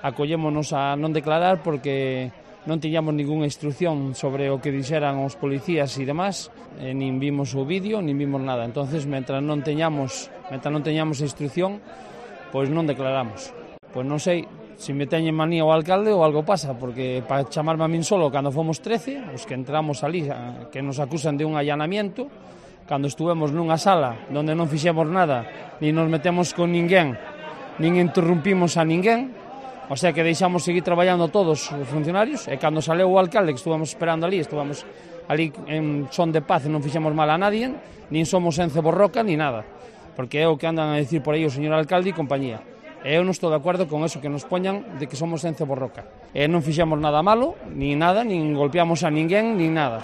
acollémonos a non declarar porque non tiñamos ningunha instrucción sobre o que dixeran os policías e demás, nin vimos o vídeo, nin vimos nada. Entonces, mentre non teñamos a instrucción, pois non declaramos. Pois non sei se me teñen manía o alcalde ou algo pasa, porque para chamarme a min solo cando fomos 13, os que entramos ali, que nos acusan de un allanamiento, cando estuvemos nunha sala onde non fixemos nada, nin nos metemos con ninguén, nin interrumpimos a ninguén, o sea que deixamos seguir traballando todos os funcionarios, e cando saleu o alcalde, que estuvamos esperando ali, estuvamos ali en son de paz e non fixemos mal a nadie, nin somos Ence Borroca, ni nada, porque é o que andan a decir por aí o señor alcalde e compañía. E eu non estou de acordo con eso, que nos poñan de que somos Ence Borroca. E non fixemos nada malo, nin nada, nin golpeamos a ninguén, nin nada.